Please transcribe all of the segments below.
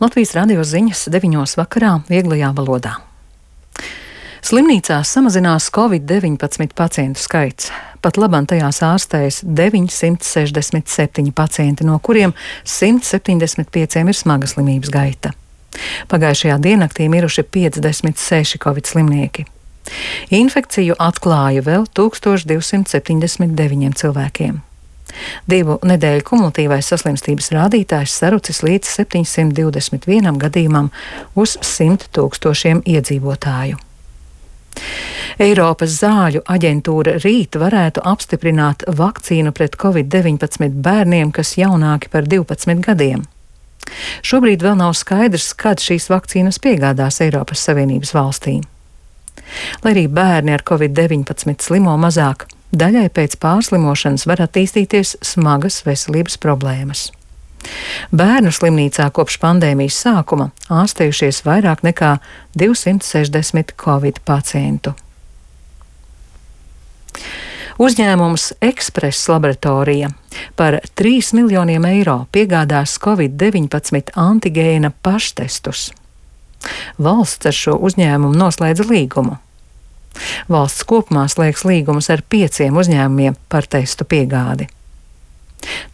Latvijas radio ziņas 9 vakarā vieglajā valodā. Slimnīcās samazinās Covid-19 pacientu skaits. Pat labam tajās ārstējas 967 pacienti, no kuriem 175 ir smaga slimības gaita. Pagājušajā diennaktī miruši 56 Covid slimnieki. Infekciju atklāja vēl 1279 cilvēkiem. 2 nedēļu kumulatīvais saslimstības rādītājs sarucis līdz 721 gadījumam uz 100 000 iedzīvotāju. Eiropas zāļu aģentūra rīt varētu apstiprināt vakcīnu pret Covid-19 bērniem, kas jaunāki par 12 gadiem. Šobrīd vēl nav skaidrs, kad šīs vakcīnas piegādās Eiropas Savienības valstīm. Lai arī bērni ar Covid-19 slimo mazāk, daļai pēc pārslimošanas var attīstīties smagas veselības problēmas. Bērnu slimnīcā kopš pandēmijas sākuma ārstējušies vairāk nekā 260 Covid pacientu. Uzņēmums Express laboratorija par 3 miljoniem eiro piegādās Covid-19 antigēna paštestus. Valsts ar šo uzņēmumu noslēdza līgumu. Valsts kopumā slēgs līgumus ar 5 uzņēmumiem par testu piegādi.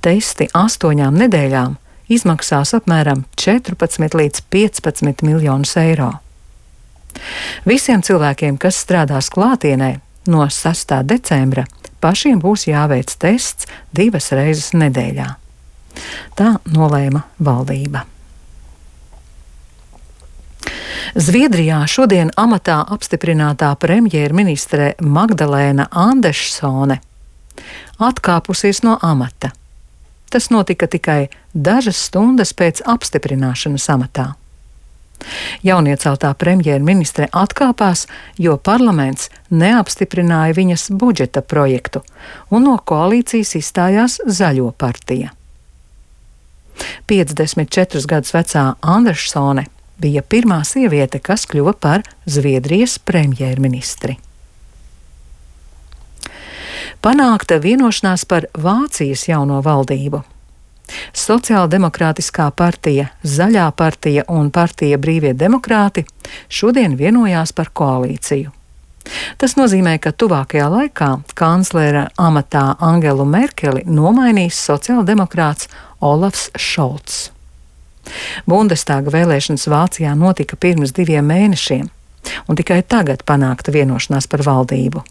Testi 8 nedēļām izmaksās apmēram 14 līdz 15 miljonus eiro. Visiem cilvēkiem, kas strādās klātienē, no 6. decembra pašiem būs jāveic tests 2 reizes nedēļā. Tā nolēma valdība. Zviedrijā šodien amatā apstiprinātā premjerministre Magdalēna Andersone atkāpusies no amata. Tas notika tikai dažas stundas pēc apstiprināšanas amatā. Jaunieceltā premjerministre atkāpās, jo parlaments neapstiprināja viņas budžeta projektu, un no koalīcijas izstājās Zaļo partija. 54 gadus vecā Andersone bija pirmā sieviete, kas kļuva par Zviedrijas premjerministri. Panākta vienošanās par Vācijas jauno valdību. Sociāldemokrātiskā partija, Zaļā partija un partija Brīvie demokrāti šodien vienojās par koalīciju. Tas nozīmē, ka tuvākajā laikā kanclera amatā Angelu Merkeli nomainīs sociāldemokrāts Olafs Šolts. Bundestāga vēlēšanas Vācijā notika pirms 2 mēnešiem, un tikai tagad panākta vienošanās par valdību.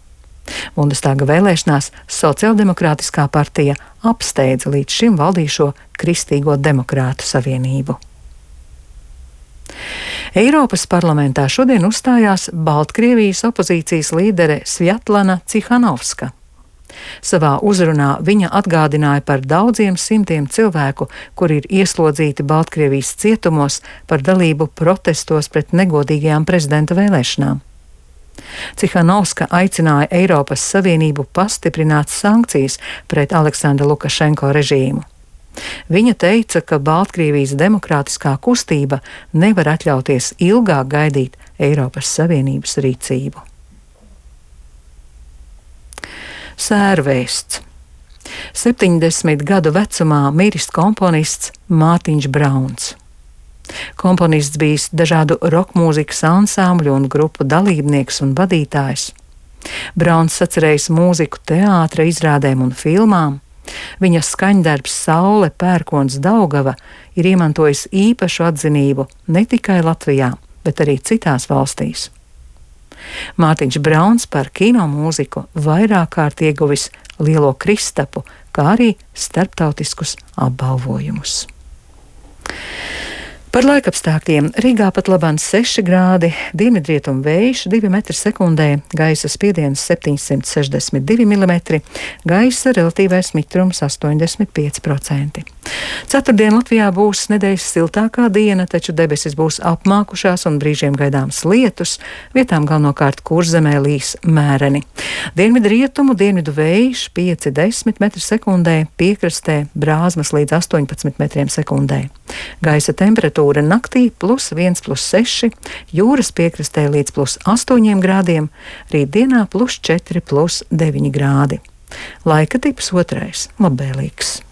Bundestāga vēlēšanās Sociāldemokrātiskā partija apsteidza līdz šim valdīšo Kristīgo demokrātu savienību. Eiropas parlamentā šodien uzstājās Baltkrievijas opozīcijas līdere Svjatlana Cihanovska. Savā uzrunā viņa atgādināja par daudziem simtiem cilvēku, kuri ir ieslodzīti Baltkrievijas cietumos par dalību protestos pret negodīgajām prezidenta vēlēšanām. Cihanovska aicināja Eiropas Savienību pastiprināt sankcijas pret Aleksandra Lukašenko režīmu. Viņa teica, ka Baltkrievijas demokrātiskā kustība nevar atļauties ilgāk gaidīt Eiropas Savienības rīcību. Sērvēsts. 70 gadu vecumā miris komponists Mārtiņš Brauns. Komponists bijis dažādu rokmūzikas ansambļu un grupu dalībnieks un vadītājs. Brauns sacerējis mūziku teātra izrādēm un filmām. Viņa skaņdarbs Saule, pērkons, Daugava ir iemantojis īpašu atzinību ne tikai Latvijā, bet arī citās valstīs. Mārtiņš Brauns par kino mūziku vairāk kārt ieguvis Lielo Kristapu, kā arī starptautiskus apbalvojumus. Par laikapstākļiem Rīgā pat labāk 6 grādi, dienvidrietumu vējš 2 m/sekundē, gaisa spiediens 762 mm, gaisa relatīvais mitrums 85%. Ceturtdien Latvijā būs nedēļas siltākā diena, taču debesis būs apmākušās un brīžiem gaidāms lietus, vietām galvenokārt Kurzemē līs mēreni. Dienvidrietumu, dienvidu vējš 5–10 m/sekundē, piekrastē brāzmas līdz 18 m/sekundē. Gaisa temperatūra naktī +1, +6, jūras piekrastē līdz +8 grādiem, rītdienā +4, +9 grādi. Laika tips 2. labvēlīgs.